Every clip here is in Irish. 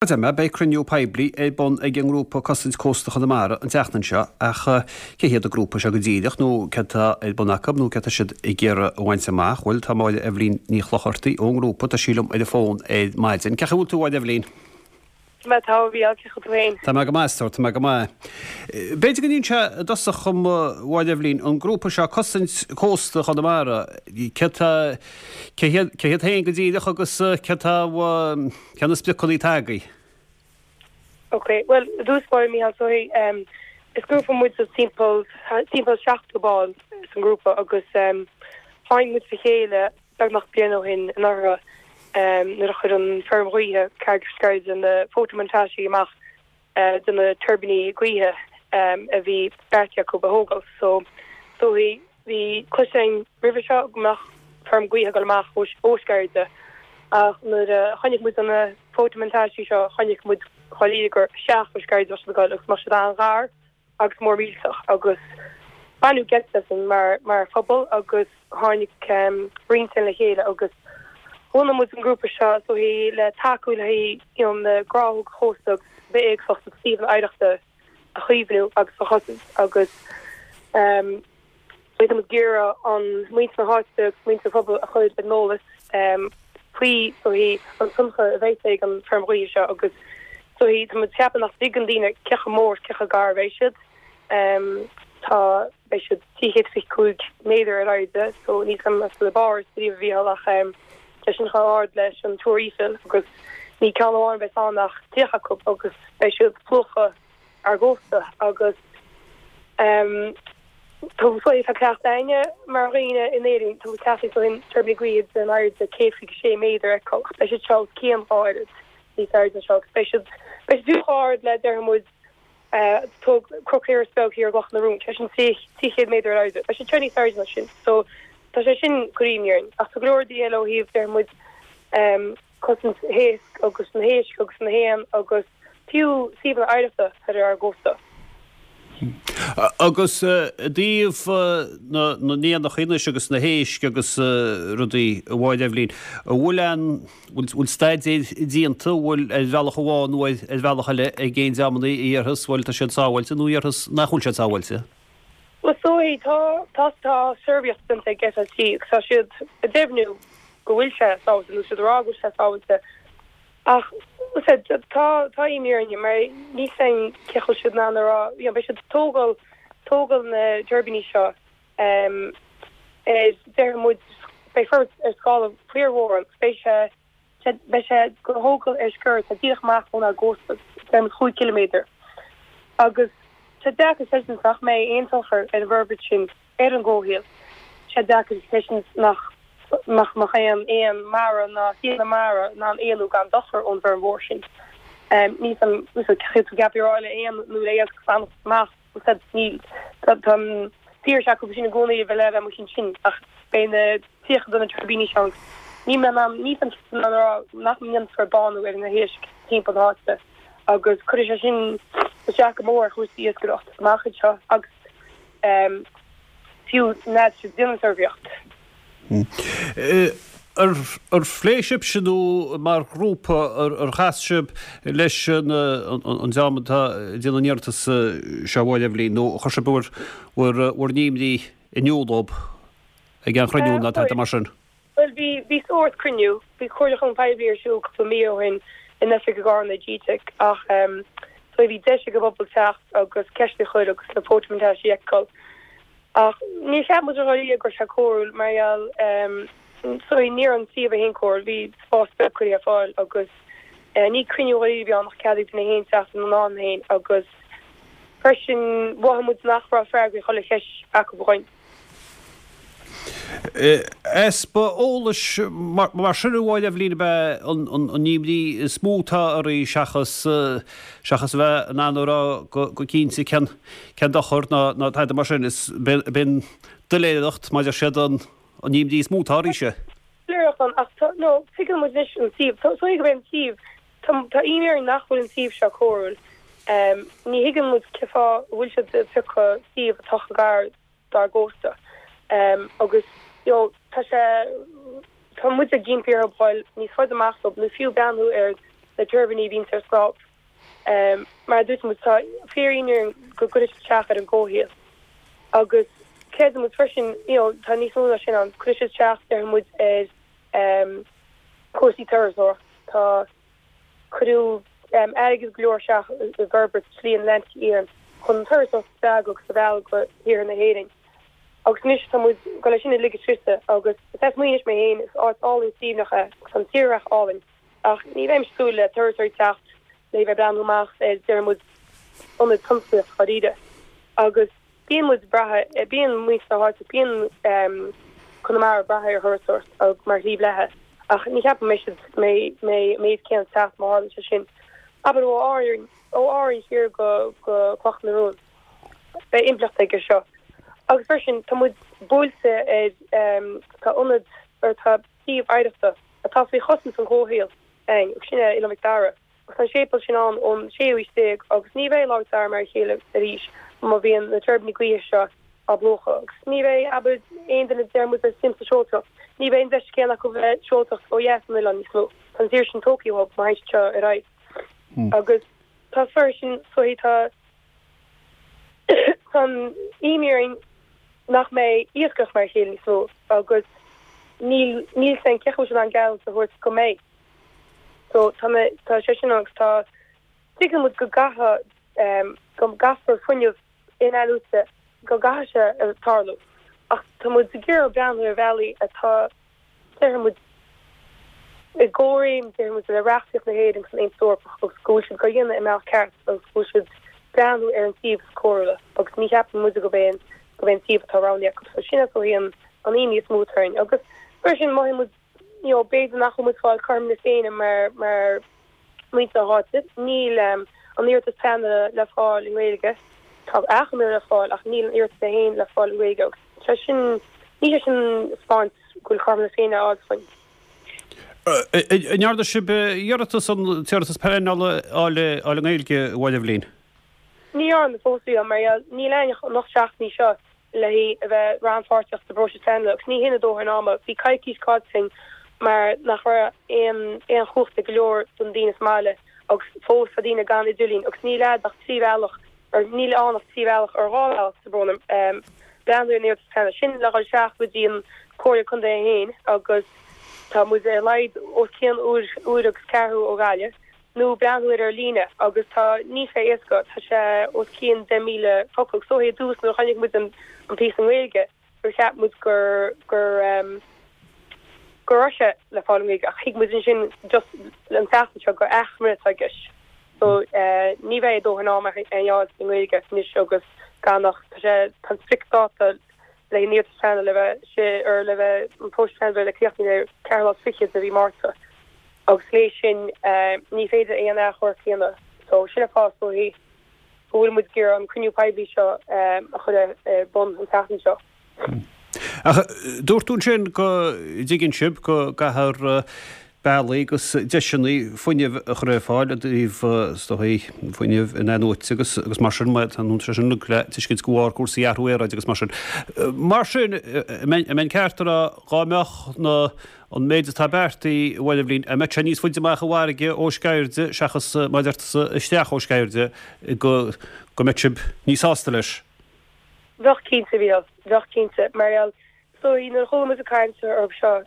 Mar a deir mé, beidh cruinniú poiblí ar bun ag an ngrúpa Cosaint Cósta Chonamara an tseachtain seo ach cé hiad an grúpa seo go díreach nó céard atá ar bun acu nó céard atá siad ag iarraidh a bhaint amach? Bhuel, tá Máire Eibhlín Ní Chlochartaigh ón ngrúpa, tá sí liom ar an bhfón ar maidin. Cén chaoi a bhfuil tú, a Mháire Eibhlín? Tá mé tá, a Mhícheáil, cén chaoi tú féin? Tá mé go maith, a stór, tá mé go maith. B'fhéidir go n-inseofá i dtosach dhom, a Mháire Eibhlín, an grúpa seo Cosaint Cósta Chonamara, céard tá, cé hiad, cé hiad féin go díreach agus céard tá, Cé na spriocanna atá agaibh? Ok, bhuel, i dtús báire, Mícheál, so em, is grúpa muid de timpeall, timpeall 70 ball san grúpa agus em, tháinig muid le chéile beagnach bliain ó shin anuraidh em, nuair a chuir an feirm ghaoithe Carraig Sceirde na fótamontáistí amach de na tuirbíní gaoithe a bhí beartaithe acu a thógáil. So, so bhí, bhí cloiste againn roimhe seo go mbeadh feirm gaoithe ag dul amach ó, ó Sceirde ach nuair a chonaic muid na fótamontáistí seo chonaic muid dháiríre gur isteach ó Sceirde a bheadh siad ag dul agus go mbeadh siad an-ghar agus mór millteach agus baineadh geit asainn mar, mar phobal agus tháinig roinnt againn le chéile agus bhunaigh muid an grúpa seo is dóichí le tacú le you know na gnáthóga chósta agus bithéagsúlacht agus suíomhanna oidhreachta a chaomhnú agus a chosaint agus tá muid ag iarraidh an muintir na háite agus muintir an phobail a chur ar an eolas faoi is dóichí an tionchar a bheidh ag an feirm ghaoithe seo agus is dóichí tá muid ag ceapadh nach dtuigeann daoine cé chomh mór is cé chomh gar a bheidh siad. Tá, beidh siad 325 méadar ar airde, so níl 's agam an raibh tú i bPáras riamh a Mhícheáil ach tá sin chomh ard leis an Túr Eiffel agus ní ceann amháin a bheas ann ach 30 acu agus beidh siad ag plúchadh ár gcósta agus tá tá cleachtadh againne mar dhaoine in Éirinn, tá muid cleachtaithe ó shin tuirbíní gaoithe den airde 126 méadar a fheiceáil ach beidh siad seo os cionn dhá oiread níos airde ná seo agus beidh siad beidh siad fiú chomh ard le déarfaidh muid Tóg Cnoc Iorrais Beag thiar i gCloch na Rón, sé sin 300 méadar ar airde. Beidh siad seo níos airde ná sin. So, tá sé sin ag cur imní orainn. Ach tá go leor rudaí eile ó thaobh, déarfaidh muid, cosaint héisc agus na héisc agus na héan agus fiú suíomhanna oidhreachta thoir ar ár gcósta. Agus i dtaobh na n-éanacha anois agus na héisc agus rudaí, a Mháire Eibhlín, an bhfuil aon bhfuil staidéir déanta, an bhfuil ar bhealach amháin nó ar bhealach eile ag aon dreamanna a dhéarfas, bhuel tá siad sábháilte nó a dhéarfas nach bhfuil siad sábháilte? Bhuel is dóigh, tá, tá, tá suirbhéireacht déanta ag FLT agus tá siad ag deimhniú go bhfuil sé sábháilte nó siad ag rá go bhfuil sé sábháilte ach tá, tá imní orainne mar níl 's againn cé chomh siad in ann a rá, you know, beidh siad ag tógáil, tógáil na dtuirbíní seo Déarfaidh muid, beidh forbairt ar scála fíormhór ann agus beidh sé, beidh sé á thógáil ar sciar atá díreach amach ónár gcósta, déarfaidh muid 5 ciliméadar. Agus tá sé deacair a chreidiúint nach mbeidh aon tionchar ar an bhforbairt sin ar an gcomhshaol. Tá sé deacair a chreidiúint nach nach mbeadh aon éan mara ná suíomhanna mara in ann éalú gan dochar ón bhfeirm mhór sin. Níl 's agam, cé tú ag ceapadh a rá le éan nó le iasc fanacht amach. Níl. Tá an saoirse acu sin i gcónaí a bheith le bheith amuigh ansin ach beidh na 30 de na tuirbíní seo agus níl mé in ann, níl mé in ann a rá nach ndéanfar bánú ar na héisc timpeall na háite agus cuirfidh sé sin isteach go mór ar chúrsaí iascaireachta amach anseo agus fiú n'fheadar siad déanamh suirbhéireacht. Ar phléigh sibhse nó mar ghrúpa ar chas sibh leis an dream atá ag déanamh an iarratais seo a Mháire Eibhlín nó chuir sibh bhur bhur n-imní in iúl dóibh ag aon chruinniú nó tada mar sin? Bhuel bhí bhí sórt cruinniú, bhí comhairliúchán poiblí ar siúl cúpla mí ó shin in oifig i gCarna i GTeic ach so bhí deis ag an bpobal teacht agus ceist a chur agus na fótamontáistí a fheiceáil. Ach níor cheap muid dháiríre go raibh sé cóiriúil mar gheall sorry ní raibh an suíomh é féin cóiriúil, bhí spás beag curtha ar fáil agus ní cruinniú dháiríre a bhí ann ach cead ag duine féin teacht ina n-am féin agus freisin mhothaigh muid nach raibh freagraí chuile cheist acu againn. Easpa eolais mar sin a Mháire Eibhlín ab ea an imní is mó atá oraibh seachas seachas a bheith in ann a rá go cinnte cén cén dochar ná ná tada mar sin. Is b'in doiléireacht maidir siad an an imní is mó atá oraibhse. Doiléireacht ann ach tá no tuigeann muid anois an suíomh. Tá so gurb é an suíomh tá tá imní orainn nach bhfuil an suíomh seo cóiriúil. Ní thuigeann muid cén fáth a bhfuil siad ag piocadh suíomh atá chomh gar dár gcósta agus you know tá sé tá muid ag impí orthu dul níos faide amach dóibh nó fiú breathnú ar. Na tuirbíní a bhíonns ar snámh. Mar a dúirt muid, tá fíor-imní orainn go gcuirfidh siad isteach ar an gcomhshaol. Agus creideann muid freisin, you know, tá níos mó ná sin ann, cuirfidh siad isteach, déarfaidh muid, ar chúrsaí turasóireachta. Tá, cuireadh airgead go leor isteach i bhforbairt Shlí an Atlantaigh Fhiáin chun an turasóireacht a spreagadh agus a mhealladh go hiarthar na hÉireann. Agus anois tá muid ag dul é sin a ligean scriosadh agus is as Muighnis mé féin, is áit álainn suaimhneach é agus tá an tírdhreach álainn. Ach ní bheimis ag súil le turasóirí teacht le bheith ag breathnú amach ar, déarfaidh muid, ionad tionsclaíoch dháiríre. Agus bíonn muid ag brath, bíonn muintir na háite, bíonn Conamara ag brath ar thurasóireacht mar shlí bheatha. Ach ní cheapaim go mbeidh siad, go mbeidh an méid céanna ag teacht má tharlaíonn sé sin. Abair ó Árainn, ó Árainn siar go Cloch na Rón. Beidh impleacht aige seo. Agus freisin tá muid buailte ar, tá ionad, or tá suíomh oidhreachta, atá faoi chosaint an chomhshaoil againn, agus sin é Oileán Mhic Dara. Agus tá an séipéal sin ann ón séú haois déag agus ní bheidh Oileán Mhic Dara mar a chéile arís má bhíonn na tuirbíní gaoithe seo á bplúchadh. Agus ní bheidh, abair, aon duine a deir muid le suim sa seoltóireacht, ní bheidh an deis céanna acu bheith ag seoltóireacht ó dheas den oileán níos mó. Tá an saoirse sin tógtha uathu má théann siad seo ar aghaidh. Agus tá freisin, so tá. Tá an imní orainn nach mbeidh iascaireacht mar a chéile níos mó agus níl níl a fhios againn cén chaoi a bhfuil siad in ann geallúint a thabhairt go mbeidh. So tá na tá sé sin ann agus tá tuigeann muid go gcaithfidh go gcaithfear fuinneamh in-athnuaite go gcaithfidh sé a tarlú ach tá muid ag iarraidh breathnú ar bhealaí atá déarfaidh muid, i gcomhréim, déarfaidh muid, le reachtaíocht na hÉireann agus an Aontas Eorpach agus go bhfuil siad á dhéanamh i mbealach ceart agus go bhfuil siad breathnú ar an suíomh is cóiriúla agus ní cheapann muide gurb é an gurb é an suíomh atá roghnaithe acu. So sin is dóichí an an imní is mó atá orainn agus freisin mothaíonn muid you know b'fhéidir nach bhfuil muid ag fáil cothrom na Féinne mar mar muintir na háite. Níl an iarratas pleanála le fáil i nGaeilge. Tá achoimre le fáil ach níl an iarratas é féin le fáil i nGaeilge agus sé sin, níl sé sin ag spáint go bhfuil cothrom na Féinne á fháil againn. An ndearna sibh iarratas an t-iarratas pleanála a fháil i nGaeilge, a Mháire Eibhlín? Ní dhearna fós, a Mhícheáil, mar gheall níl againn ach an 8 seachtainí seo le haghaidh a bheith rannpháirteach sa bpróiseas pleanála agus ní hin a dóthain ama. Bhí coicís caillte againn mar nach raibh aon aon chumhacht ag go leor de na daoine sa mbaile agus fós tá daoine gan idirlíon agus níl a'd ach 3 bhealach or níl ann ach 3 bhealach or 2 bhealach tá brón orm breathnú ar an iarratas pleanála sin le dhul isteach go dtí an Comhairle Contae é féin agus tá muid ar a laghad os cionn uair uair agus ceathrú ó Ghaillimh. nó breathnú air ar líne agus tá, níl sé éasca, tá sé os cionn 10,000 focal. So i dtús nuair a chonaic muid an píosa i nGaeilge gur cheap muid gur, gur ehm, go raibh sé le fáil i nGaeilge ach thuig muid ansin just an tseachtain seo gur achoimre atá i gceist. So eh ní bheidh dóthain ama a fháil i nGaeilge anois agus gan ach, tá sé, tá an spriocdháta le haghaidh an iarratas pleanála le bheith sé, or le bheith, an próiseas pleanála le críochnú ar ceathrú lá is fichead de mhí Márta. Agus léi sin ní féidir aon achomharc a dhéanamh. So sin an fáth is dóichí go bhfuil muid ag iarraidh an cruinniú poiblí seo a chur ar bun an tseachtain seo. Ach dúirt tú ansin go dtuigeann sibh go gcaithfear bealaí agus deiseanna fuinnimh a chur ar fáil i dtaobh is dóichí fuinneamh in-athnuaite agus agus mar sin, tá sé sin le tuiscint de bharr cúrsaí athrú aeráide agus mar sin. Mar sin, an mbeinn ceart a rá dhá mbeadh na An méid atá beartaithe, a Mháire Eibhlín, an mbeadh sé níos faide amach i bhfarraige ó Sceirde seachas, mar a deir tusa, isteach ó Sceirde, go go mbeadh sibh níos sásta leis? Bheadh cinnte, bheadh, bheadh cinnte. Mar gheall, is dóigh, nuair a chuala muid ag caint orthu seo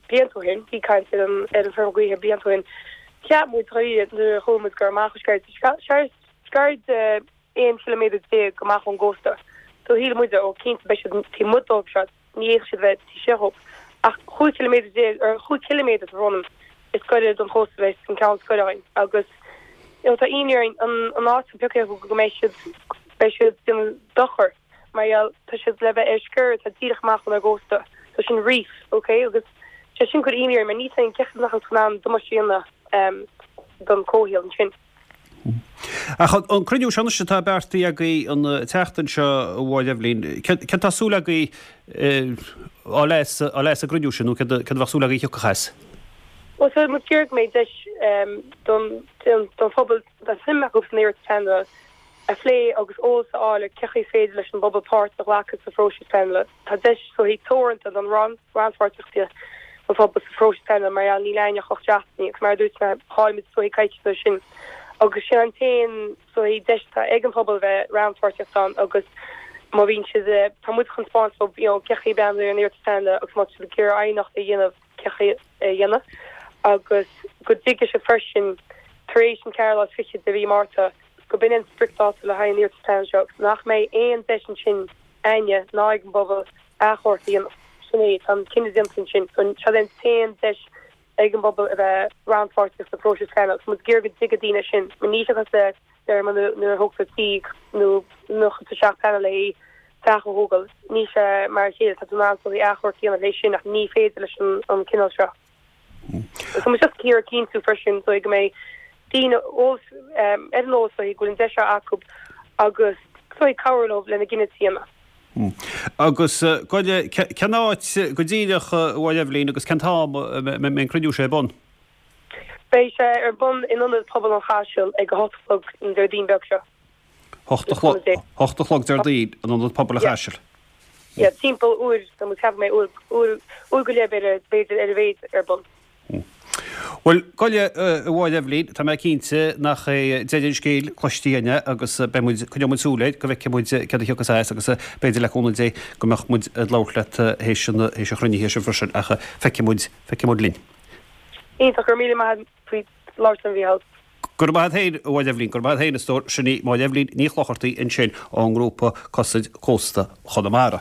blianta ó shin, bhí caint ar an ar an feirm gaoithe blianta ó shin, cheap muid dháiríre nuair a chuala muid gur amach ó Sceirde, Sceirde 11 chiliméadar amach ón gcósta, so shíl muide, ó cinnte beidh siad taobh amuigh dóibh seo. Ní fhéadfadh siad bheith taobh istigh dhóibh ach 15 ciliméadar, or 5 chiliméadar tá brón orm, is gaire don chósta a bheas an ceann is gaire againn agus you know tá imní orainn an an áit atá pioctha acu go mbeidh siad beidh siad ag déanamh dochar mar gheall tá siad le bheith ar sciorr atá díreach amach ónár gcósta so sin reef ok agus sé sin ag cur imní orainn mar níl a fhios againn cén chaoi nach bhfuil in ann damáiste a dhéanamh don comhshaol ansin. Ach an cruinniú seo anois atá beartaithe agaibh an tseachtain seo, a Mháire Eibhlín, céard tá súil agaibh a fháil as an gcruinniú sin nó céard a bheadh súil agaibh a thiocfadh as? Bhuel, tá muid ag iarraidh go mbeidh deis don phobal atá suim acu san iarratas pleanála a phlé agus eolas a fháil ar cén chaoi is féidir leis an bpobal páirt a ghlacadh sa phróiseas pleanála. Tá deis so teoranta don rannpháirtíocht. an phobal sa phróiseas pleanála mar gheall níl againn ach 8 seachtainí agus mar a dúirt mé chaill muid is dóichí coicís de sin agus sin an t-aon is dóichí deis atá ag an phobal bheith rannpháirteach ann agus má bhíonn siad tá muid chun 'spáint dóibh you know cén chaoi breathnú ar an iarratas pleanála agus má tá siad ag iarraidh aighneacht a dhéanamh cén chaoi a dhéanamh agus go dtuigfidh siad freisin tar éis an ceathrú lá is fichead de mhí Márta go b'in an spriocdháta le haghaidh an iarratas pleanála seo agus nach mbeidh aon deis ansin againne ná ag an bpobal achomharc a dhéanamh. Sin é, tá an cinneadh déanta ansin. So seo é an t-aon deis ag an bpobal a bheith rannpháirteach sa phróiseas pleanála agus muid ag iarraidh go dtuigfidh daoine sin. Mar níl sé cosúil le deir mé nuair a thógtar tí nó nuair a chuirtear isteach pleanáil le haghaidh teach a thógáil. Níl sé mar a chéile, tá tú in ann achomharc a dhéanamh leis sin ach ní féidir leis an cineál seo. Tá muid just ag iarraidh cinntiú freisin so go mbeidh daoine eolas ar an eolas so go bhfuil an deis seo acu agus so cabhrú leo lena gcinneadh a dhéanamh. Agus gabh i leith, cén áit go díreach a Mháire Eibhlín agus cén t-am a mbeidh an cruinniú seo ar bun? Beidh sé ar bun in Ionad Pobail an Chaisil ag a hocht a chlog an Déardaoin beag seo. Hocht a chlog Déardaoin in Ionad Pobail an Chaisil. Yeah, timpeall uair, tá mé ag ceapadh mé uair, uair, uair go leith b'fhéidir, b'fhéidir ar a mhéad ar bun. Bhuel, gabh i leith, a Mháire Eibhlín, tá mé cinnte nach é deireadh an scéil cloiste againne agus beidh muid, coinneoidh muid súil air go bhfeicfidh muid céard a thiocfas as agus b'fhéidir le cúnamh Dé go mbeadh muid ag labhairt leat théis an, théis an chruinnithe sin freisin ach feicfidh muid, feicfidh muid linn. Iontach, go raibh míle maith agat faoi labhairt liom, a Mhícheáil. Go raibh maith agat féin, a Mháire Eibhlín, go raibh maith agat féin, a stór. Sin í Máire Eibhlín Ní Chlochartaigh ansin ón ngrúpa Cosaint Cósta Chonamara.